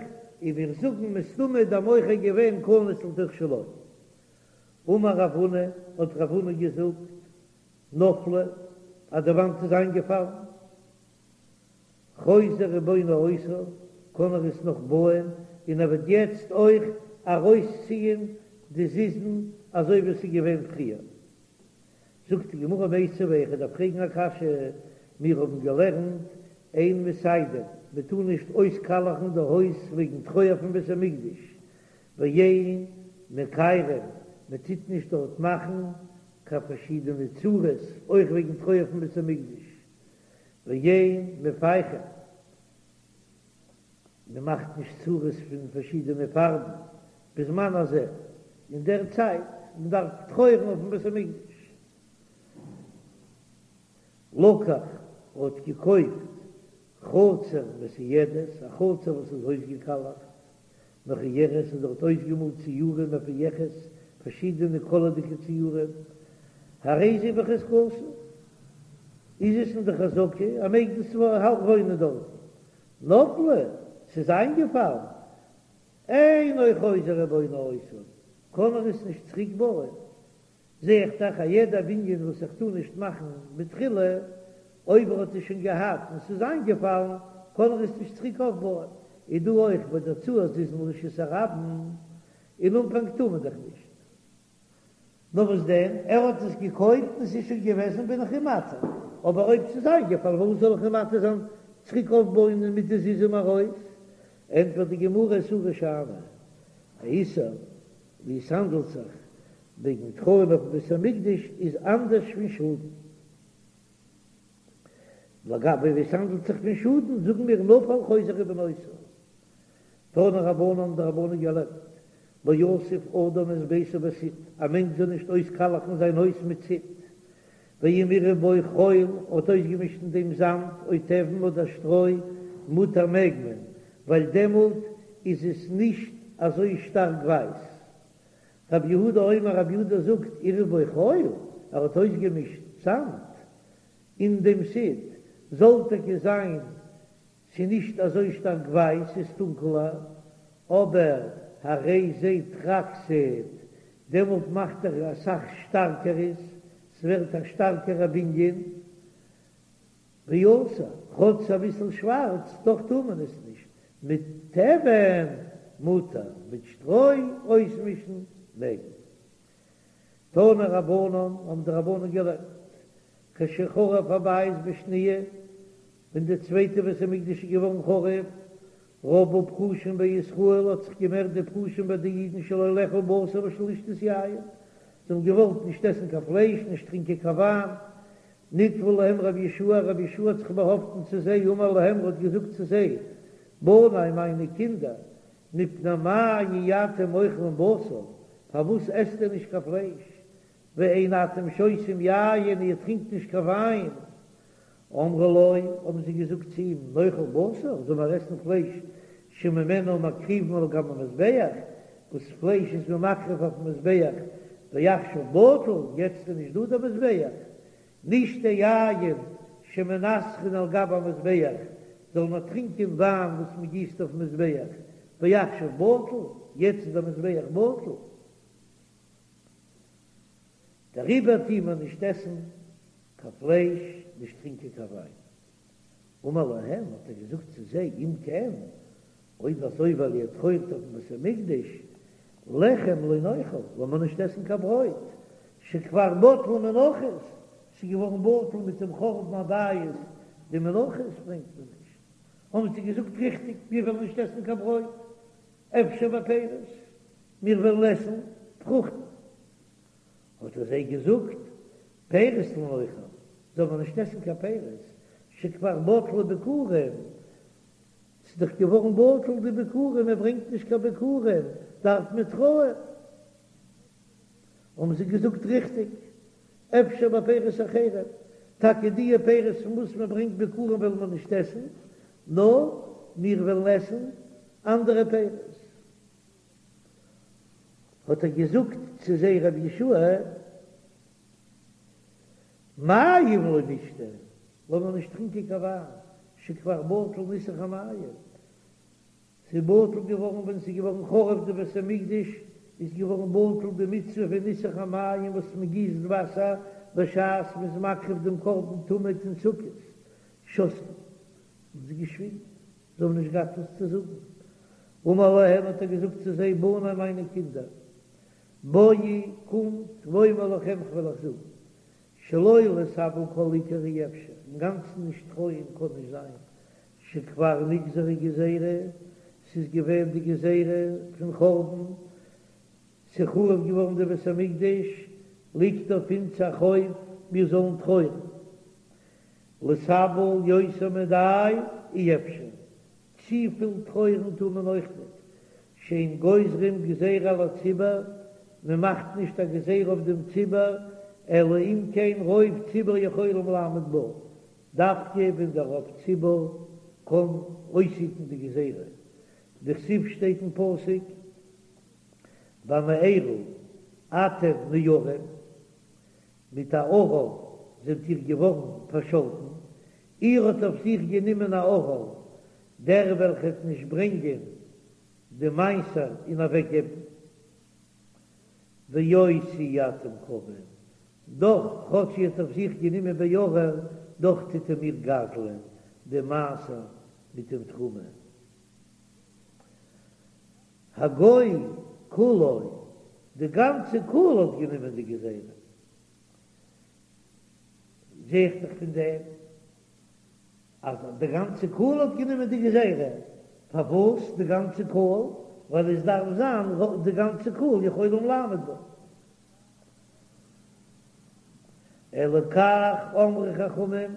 און מיר זאגן מסתמא איז דער מוכר געווען כנוס לתוך שלו. אמר רב הונא, האט רב הונא געזאגט, נפלה, אז די וואנט איז איינגעפאלן, חוזר ובונה אותה, קען ער עס נאך בויען, און ער וועט יעצט אויך ארויסציען די זיזין אזוי ווי עס איז געווען פריער. זאגט די גמרא מיתיבי, איך דארף פרעגן א קשיא, מיר האבן געלערנט אין מסיידין, מען טאר נישט אויסקאלעכן די הויז וועגן טרויער פון בית המקדש, ואין מכיירין, מען טוט נישט דארט מאכן קיין פארשידענע צורות אויך וועגן טרויער פון בית המקדש, ואין מפייחין, מען מאכט נישט צורות פון פארשידענע פארבן, בזמן הזה, אין דער צייט מען דארף טרויערן אויפן בית המקדש. לקח האט געקויפט חצר מסוידת, א חצר וואס איז אויסגעקאלעכט, מכוערת איז דארט אויסגעמאלט ציורים מפויחות, פארשידענע קאלערדיגע ציורים, הרי זו בחזקתו, איז עס אין די חזקה, ער מעג דאס וואוינען דארטן. נפלה, ס'איז איינגעפאלן, אינו חוזר ובונה אותה, קען ער עס נישט צוריק בויען. זע איך דאך אז יעדע בנין וואס איך טאר נישט מאכן מתחילה, אויב ער האט עס שוין געהאט און ס'איז איינגעפאלן, קען ער עס נישט צוריק אויפבויען. איז דא אויך ביי די הוצאת זיזין לרשות הרבים, אין אנפאנג טאר מען דאך נישט. נאר וואס דען, ער האט עס געקויפט און ס'איז שוין געוועזן בין איך אים מתיר, אבער אויב ס'איז איינגעפאלן פארוואס זאל איך אים מתיר זיין צוריק אויפבויען מיט די זיזים ארויס? ענטפערט די גמרא איסורא שאני, א איסור ווי עס האנדלט זיך וועגן טרויערן אויפן בית המקדש איז אנדערש פון שאדן. לגבי ווי עס האנדלט זיך פון שאדן זאגן מיר נפל חוזר ובונה אותה. תנו רבנן האבן די רבנן געלערנט, לא יסיף אדם את ביתו בסיד, א מענטש זאל נישט אויסקאלעכן זיין הויז מיט סיד, ואם עירב בו חול, האט אויסגעמישט אין דעם זאמד, או תבן אדער שטרוי, מותר מעג מען, ווייל דעמאלט איז עס נישט אזוי שטארק ווייס. רבי יהודה אומר, רבי יהודה זאגט, עירב בו חול, ער האט אויסגעמישט זאמד אין דעם סיד, זאל טאקע זיין ס'איז נישט אזוי שטארק ווייס, ס'איז טונקעלער, אבער הרי זה טרקסית, דעמאלט מאכט ער אסאך שטארקער עס, ס'ווערט א שטארקערע בנין, ואסור, כאטש אביסל שווארץ, דאך טאר מען עס נישט, מיט תבן מותר, מיט שטרוי אויסמישן מעג מען. תנו רבנן, האבן די רבנן געלערנט, כשחרב הבית בשניה, ווען די צווייטע בית המקדש איז געווארן חרוב, רבו פרושים בישראל, האט זיך געמערט די פרושים ביי די אידן שלא לאכול בשר ושלא לשתות יין, זיי האבן געוואלט נישט עסן קיין פלייש, נישט טרינקען קיין וויין. נתפל להם רבי יהושע, רבי יהושע האט זיך באהאפטן צו זיי, אמר להם, ער האט געזאגט צו זיי, בני, מיינע קינדער, מפני מה אי אתם אוכלים בשר, פארוואס עסט איר נישט קיין פלייש, ואין אתם שותים יין, איר טרינקט נישט קיין וויין? אמרו לו, האבן זיי געזאגט צו אים, נאכל בשר, זאל מיר עסן פלייש, שממנו מקריבין על גבי המזבח, וואס פלייש איז מען מקריב אויפן מזבח, ועכשיו בטל, יעצט איז נישט דא דער מזבח, נשתה יין שמנסכין על גבי המזבח, זאל מען טרינקען וויין וואס מען גיסט אויפן מזבח, ועכשיו בטל, יעצט איז דער מזבח בטל. דעריבער טוהן מיר נישט עסן קיין פלייש, נישט טרינקען קיין וויין. אמר להם, האט ער געזאגט צו זיי, אם כן, אויב אזוי ווייל איר טרויערט אויפן בית המקדש, לחם לא נאכל, לאמיר נישט עסן קיין ברויט, שכבר בטלו מנחות, ס'איז געווארן בטל מיט דעם חורבן הבית, די מנחות ברענגט מען נישט. האבן זיי געזאגט, ריכטיג, מיר וועלן נישט עסן קיין ברויט, אפשר בפירות, מיר וועלן עסן פרוכטן. האט ער זיי געזאגט, פירות לא נאכל, זאל מען נישט עסן קיין פירות, שכבר בטלו ביכורים, ס'איז דאך געווארן בטל די ביכורים, מען ברענגט נישט קיין ביכורים, דארף מען טרויערן. האבן זיי געזאגט, ריכטיג, אפשר בפירות אחרים, טאקע דיע פירות פון וואס מען ברענגט ביכורים וועלן מיר נישט עסן, נאר מיר וועלן עסן אנדערע פירות. האט ער געזאגט צו זיי רבי יהושע, מים לא נשתה, לאמיר נישט טרינקען קיין וויין, שכבר בטל ניסוך המים, ס'איז בטל געווארן ווען ס'איז געווארן חרוב די בית המקדש, איז געווארן בטל די מצוה פון ניסוך המים וואס מען גיסט וואסער בשעת מ'איז מקריב דעם קרבן תמיד אין סוכות, שתקו, האבן זיי געשוויגן. זיי האבן נישט געהאט וואס צו זאגן. אמר להם האט ער געזאגט צו זיי, בני מיינע קינדער, בואו קומט ואומר לכם כ'וועל אייך זאגן, שלא להתאבל כל עיקר אי אפשר, אינגאנצן נישט טרויערן קען נישט זיין, שכבר נגזרה גזירה, ס'איז געווען די גזירה פון חורבן, ס'איז חרוב געווארן די בית המקדש, ליגט אויף אונז א חוב מיר זאלן טרויערן. להתאבל יותר מדאי אי אפשר, צופיל טרויערן טאר מען אויך ניט, שאין גוזרים גזירה על הציבור, מען מאכט נישט א גזירה אויף דעם ציבור, אלא אם כן רוב ציבור יכולים לעמוד בה, דווקא ווען דער רוב ציבור קען אויסהיטן די גזירה, דכתיב שטייט אין פסוק במארה אתם נארים, מיט א ערב זענט איר געווארן פארשאלטן, איר האט אויף זיך גענומען א ערל, דער וועלכער וועט נישט ברענגען די מעשר און אוועקגעבן. ואותי אתם קווין, דאך כאטש איר האט אויף זיך גענומען בערל, דאך טוט איר מיר גזל'ען די מעשר מיט דעם תרומה. הגוי כולו, די גאנצע קהל האט גענומען די גזירה. זע איך דאך פון דעם אז די גאנצע קהל האט גענומען די גזירה. פארוואס די גאנצע קהל? ווייל עס דארף זיין די גאנצע קהל יכולים לעמוד בה. אלא כך אמרו חכמים,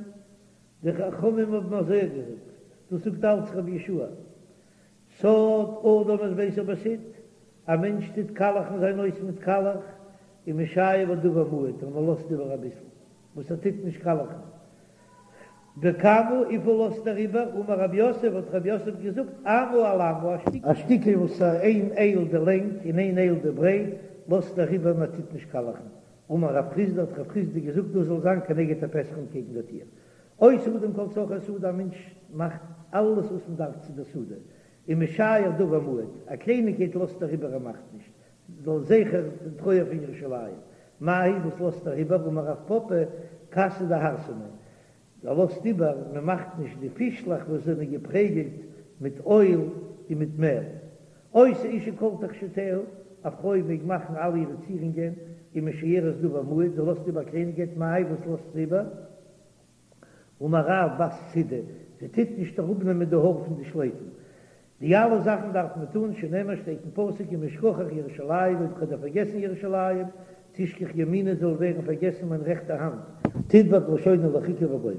די חכמים האבן אזוי געזאגט, דאס זאגט אלץ רבי יהושע, סד אדם את ביתו בסיד, א מענטש טוט קאלעכן זיין הויז מיט קאלעך, ומשייר בה דבר מועט, און ער לאזט איבער אביסל, וואס ער טוט נישט קאלעכן. בכמה, וויפיל לאזט ער איבער? אמר רב יוסף, האט רב יוסף געזאגט, אמה על אמה, א שטיקל וואס איז איין אייל די לענג און איין אייל די ברייט, לאזט ער איבער און ער טוט נישט קאלעכן. אמר רב חסדא, האט רב חסדא געזאגט, דאס זאל זיין כנגד הפתח אנטקעגן דער טיר. עושה אדם כל צרכי השדה, א מענטש מאכט אלעס וואס מען דארף צו דער שדה, ומשייר דבר מועט, א קלייניגקייט לאזט ער איבער ער מאכט נישט, לזכר דעם טרויער פון ירושלים, מאי היא וואס לאזט ער איבער, אמר רב פפא, כסא דהרסנא, ער לאזט איבער, מען מאכט נישט די פישלעך וואס זענען געפרעגלט מיט אויל און מיט מעל. עושה אשה כל תכשיטיה, א פרוי מעג מאכן אלע אירע צירונגען, ומשיירת דבר מועט, זי לאזט איבער א קלייניגקייט, מאי היא וואס לאזט זי איבער? אמר רב בת צידי, זי טוט נישט אראפנעמען די האר פון די שלייפן. די אלע זאכן דארף מען טון, שנאמר שטייט אין פסוק אם אשכחך ירושלים, אויב כ'וועל דיר פארגעסן ירושלים, תשכח ימיני זאל ווערן פארגעסן מיין רעכטע האנט. תדבק לשוני לחכה וגומר.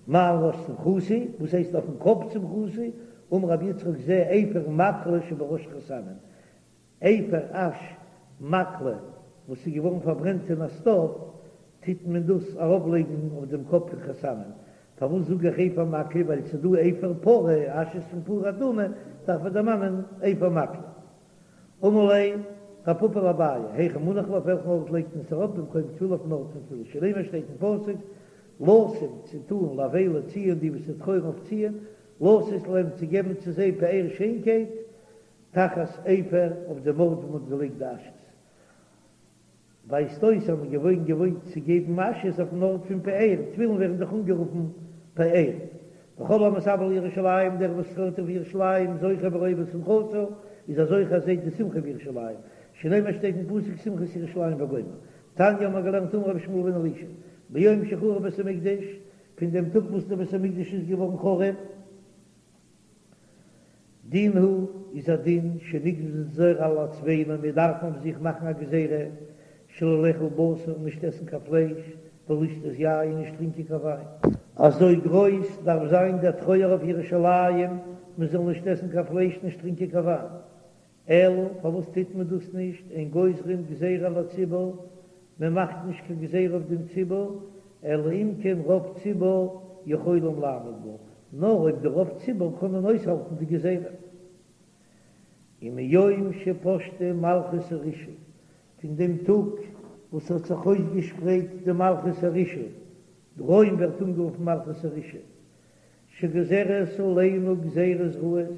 מה על ראש שמחתי, וואס הייסט אויפן קאפ שמחתי, אמר רבי יצחק זה אפר מקלה שבראש חתנים, אפר אש מקלה וואס איז געווארן פארברענט אין א סטאוו, טוט מען דאס ארויפלייגן אויף דעם קאפ פון חתנים. פארוואס זאג איך אפר מקלה? ווייל ס'איז דא אפר פרה, אש איז פון פרה אדומה, דארף מען דערמאנען אפר מקלה. אמר ליה רב פפא לאביי, היכא מנח לה, אויף וועלכן ארט לייגט מען עס ארויף? במקום תפילה אויפן ארט פון תפילה, שנאמר שטייט אין פסוק, לשום צו טאן לאבלי ציון די וואס טרויערן אויף ציון, לתת להם צו געבן צו זיי פאר שיינקייט, תחת אפר אויף דעם ארט וואו מ'האט געלייגט די אשעס. ווייזט אויס אז מ'איז געווען געוואוינט צו געבן אשעס אויפן ארט פון פאר, תפילין ווערן דאך אנגערופן פאר. וכל המתאבל על ירושלים, דער וואס טרויערט אויף ירושלים, זוכה ורואה בשמחתה, איז א זוכה ער זעט די שמחה בירושלים, שנאמר שטייט אין פסוק שמחת ירושלים וגומר. תניא האבן מיר געלערנט אמר רבי ישמעאל בן אלישע, מיום שחרב בית המקדש, פון דעם טאג וואס דער בית המקדש איז געווארן חרוב, דין הוא איז א דין שנגזור על עצמינו מיר דארפן אויף זיך מאכן א גזירה שלא לאכול בשר נישט עסן קיין פלייש ולא לשתות יין נישט טרינקען קיין וויין. אזוי גרויס דארף זיין דער טרויער אויף ירושלים מען זאל נישט עסן קיין פלייש נישט טרינקען קיין וויין. אלא פארוואס טוט מען דאס נישט, אין גוזרים גזירה על הציבור, מען מאכט נישט קיין גזירה אויף דעם ציבור, אלא אם כן רוב ציבור יכולים לעמוד בה, נאר אויב די רוב ציבור קענען אויסהאלטן די גזירה. ומיום שפשטה מלכות הרשעה, פון דעם טאג וואס האט זיך אויסגעשפרייט די מלכות הרשעה, רוים ווערט אנגערופן מלכות הרשעה, שגוזרת עלינו גזירות רעות,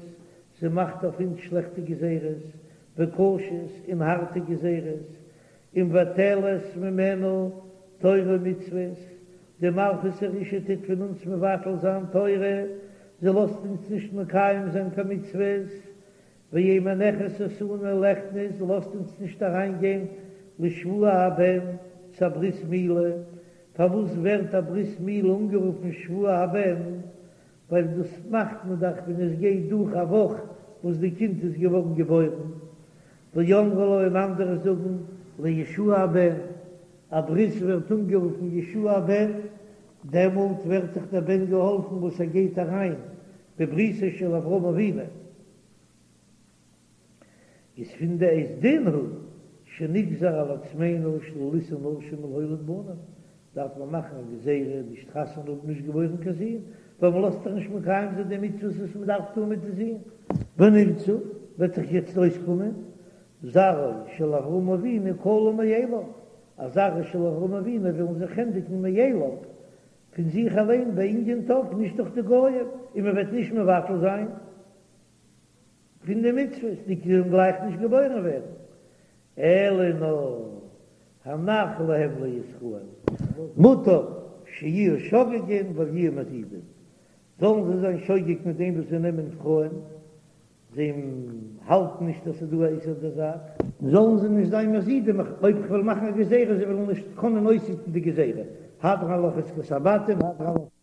זי מאכט אויף אונז שלעכטע גזירות, וקשות און הארטע גזירות, ומבטלת ממנו תורה ומצוות, די מלכות הרשעה טוט פון אונז מבטל זיין תורה, זי לאזט אונז נישט מקיים זיין קיין מצוות, ואין מנחת אותנו ליכנס, זי לאזט אונז נישט אריין גיין לשבוע הבן צו א ברית מילה, פארוואס ווערט א ברית מילה אנגערופן שבוע הבן? ווייל דאס מאכט מען דאך ווען עס גייט דורך א וואך וואס די קינד איז געווארן געבוירן, ואמרי לה און אנדערע זאגן לישוע הבן, א ברית ווערט אנגערופן ישוע הבן, דעמאלט ווערט דאך דער בן געהאלפן וואס ער גייט אריין בבריתו של אברהם אבינו. איז פון די איז דין הוא שנגזר על עצמינו שלא לישא נשים ולהוליד בנים, דארף מען מאכן א גזירה נישט חתונה האבן נישט געבוירן קיין זין, ווייל מען לאזט דאך נישט מקיים זיין די מצוות וואס מען דארף טון מיט די זין. ונמצא, וועט זיך יעצט אויסקומען, זרעו של אברהם אבינו כלה מאליו, אז זרעו של אברהם אבינו וועלן זיך ענדיגן מאליו, פון זיך אליין בענין טף, נישט דורך די גויים, און מען וועט נישט מבטל זיין פון די מצוות, די קינדער וועלן גלייך נישט געבוירן ווערן, אלא נאר הנח להם לישראל, מוטב שיהיו שוגגין ואל יהיו מזידין, זאלן זיי זיין שוגג מיט דעם וואס זיי נעמען פרויען, זיי האלטן נישט אז ס'איז דא א איסור די זאך, זאלן זיי נישט זיין מזידים, אויב כ'וועל מאכן א גזירה זיי וועלן נישט קענען אויסהיטן די גזירה, הדרן עלך עסקת הבתים, הדרן עלך.